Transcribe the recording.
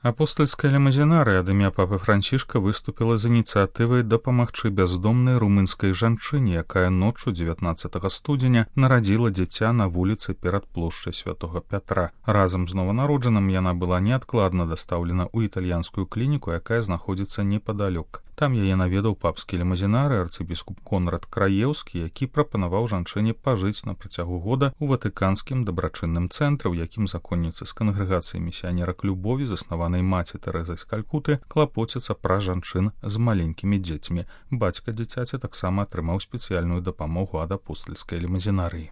Апостальская лімузінарыя ад імя папы Францішка выступіла з ініцыятывай дапамагчы бяздомнай румынскай жанчыне, якая ноччу 19 студзеня нарадзіла дзіця на вуліцы перад плошчай Святога Пятра. Разам з нованароджаным яна была неадкладна дастаўлена ў італьянскую клініку, якая знаходзіцца непадалёк. Там яе наведаў папскі лімузінары арцыбіскуп Конрад Краеўскі, які прапанаваў жанчыне пажыць на працягу года ў ватыканскім дабрачынным цэнтры, у якім законніцы з кангрэгацыі місіянерак любові, заснаванай маці Тэрэзай з Калькуты, клапоцяцца пра жанчын з маленькімі дзецьмі. Бацька дзіцяці таксама атрымаў спецыяльную дапамогу ад апостальскай лімузінарыі.